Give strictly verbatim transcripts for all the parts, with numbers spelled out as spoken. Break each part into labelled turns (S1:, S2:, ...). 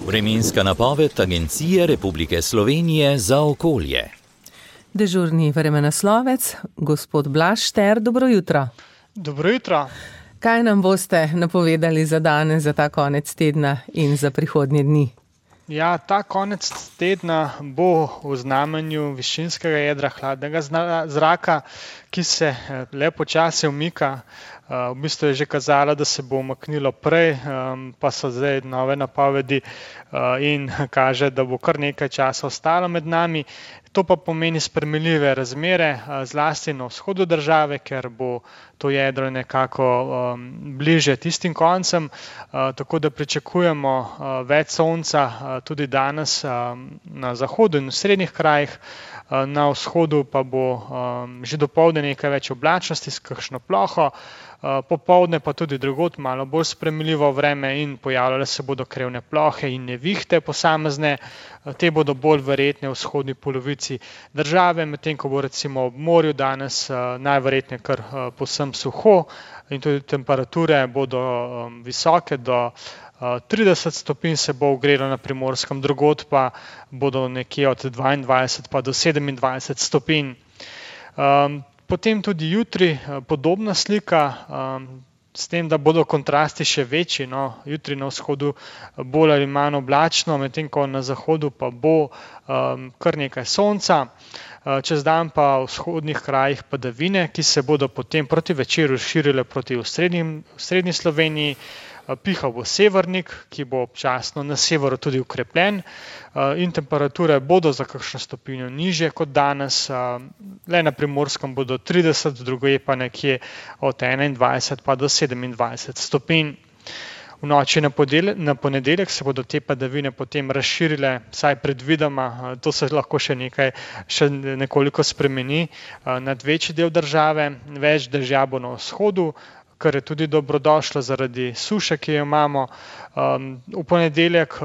S1: Vremenska napoved Agencije Republike Slovenije za okolje.
S2: Dežurni vremenoslovec, gospod Blaž Šter, dobro jutro.
S3: Dobro jutro.
S2: Kaj nam boste napovedali za danes, za ta konec tedna in za prihodnje dni?
S3: Ja, ta konec tedna bo v znamenju višinskega jedra hladnega zraka, ki se le počasi umika. V bistvu je že kazalo, da se bo umaknilo prej, pa so zdaj nove napovedi in kaže, da bo kar nekaj časa ostalo med nami. To pa pomeni spremenljive razmere, zlasti na vzhodu države, ker bo to jedro nekako um, bliže tistim koncem, uh, tako da pričakujemo uh, več sonca uh, tudi danes um, na zahodu in v srednjih krajih. Uh, na vzhodu pa bo um, že dopoldne nekaj več oblačnosti s kakšno ploho, uh, popoldne pa tudi drugod malo bolj spremenljivo vreme in pojavljale se bodo krevne plohe in nevihte posamezne. Uh, te bodo bolj verjetne v vzhodni polovici države, medtem ko bo recimo ob morju danes uh, najverjetneje kar uh, povsem suho in tudi temperature bodo um, visoke, do uh, trideset stopinj se bo ogrelo na Primorskem, drugod pa bodo nekje od dvaindvajset pa do sedemindvajset stopinj. Um, potem tudi jutri uh, podobna slika, um, s tem, da bodo kontrasti še večji, no, jutri na vzhodu bolj ali manj oblačno, medtem ko na zahodu pa bo um, kar nekaj sonca. Čez dan pa v vzhodnih krajih padavine, ki se bodo potem proti večeru širile proti v srednji Sloveniji. Pihal bo severnik, ki bo občasno na severu tudi ukrepljen in temperature bodo za kakšno stopinjo nižje kot danes. Le na Primorskem bodo trideset, drugje pa nekje od enaindvajset pa do sedemindvajset stopinj. V noči na, na ponedeljek se bodo te padavine potem razširile, saj predvidoma, to se lahko še nekaj, še nekoliko spremeni nad večji del države, več dežja bo na vzhodu, kar je tudi dobrodošlo zaradi suše, ki jo imamo. V ponedeljek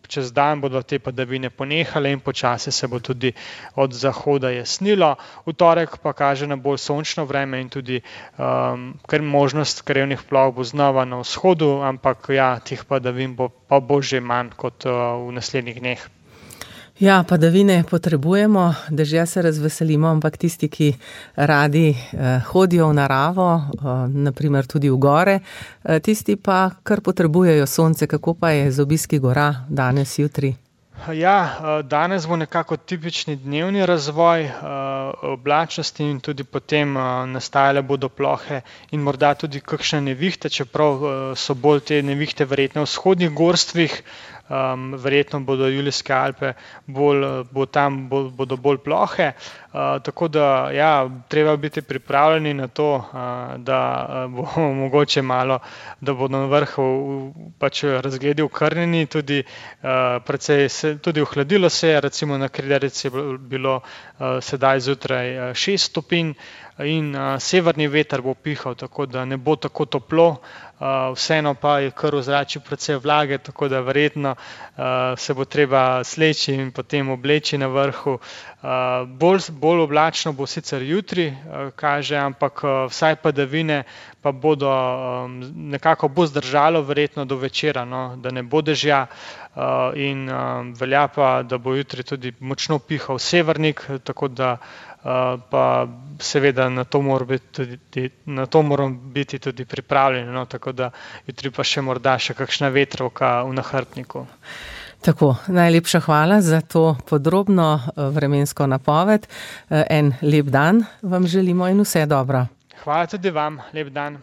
S3: čez dan bodo te padavine ponehale in počasi se bo tudi od zahoda jasnilo. V torek pa kaže na bolj sončno vreme in tudi um, ker možnost krevnih ploh bo znova na vzhodu, ampak ja, teh padavin bo, pa bo že manj kot uh, v naslednjih dneh.
S2: Ja, padavine potrebujemo, dežja se razveselimo, ampak tisti, ki radi eh, hodijo v naravo, eh, naprimer tudi v gore, eh, tisti pa kar potrebujejo sonce. Kako pa je z obiski gora danes, jutri?
S3: Ja, danes bo nekako tipični dnevni razvoj oblačnosti in tudi potem nastajale bodo plohe in morda tudi kakšne nevihte, čeprav so bolj te nevihte verjetno v vzhodnih gorstvih, um, verjetno bodo Julijske Alpe, bolj, bo tam bolj, bodo bolj plohe. Uh, tako da ja, treba biti pripravljeni na to, uh, da bo mogoče malo, da bodo na vrhu pač razgledi okrnjeni, tudi uh, precej se, tudi ohladilo se je, recimo na Kredarici je bilo uh, sedaj zjutraj uh, šest stopinj in uh, severni veter bo pihal, tako da ne bo tako toplo. Uh, vseeno pa je kar v zraku precej vlage, tako da verjetno uh, se bo treba sleči in potem obleči na vrhu. Uh, bolj, bolj oblačno bo sicer jutri, uh, kaže, ampak uh, vsaj padavine pa bodo um, nekako bo zdržalo verjetno do večera, no, da ne bo dežja uh, in um, velja pa, da bo jutri tudi močno pihal severnik, tako da uh, pa seveda na to moramo biti tudi, na to moramo biti tudi pripravljeni, no, tako da jutri pa še morda še kakšna vetrovka v nahrbtniku.
S2: Tako, najlepša hvala za to podrobno vremensko napoved. En lep dan vam želimo in vse dobro.
S3: Hvala tudi vam, lep dan.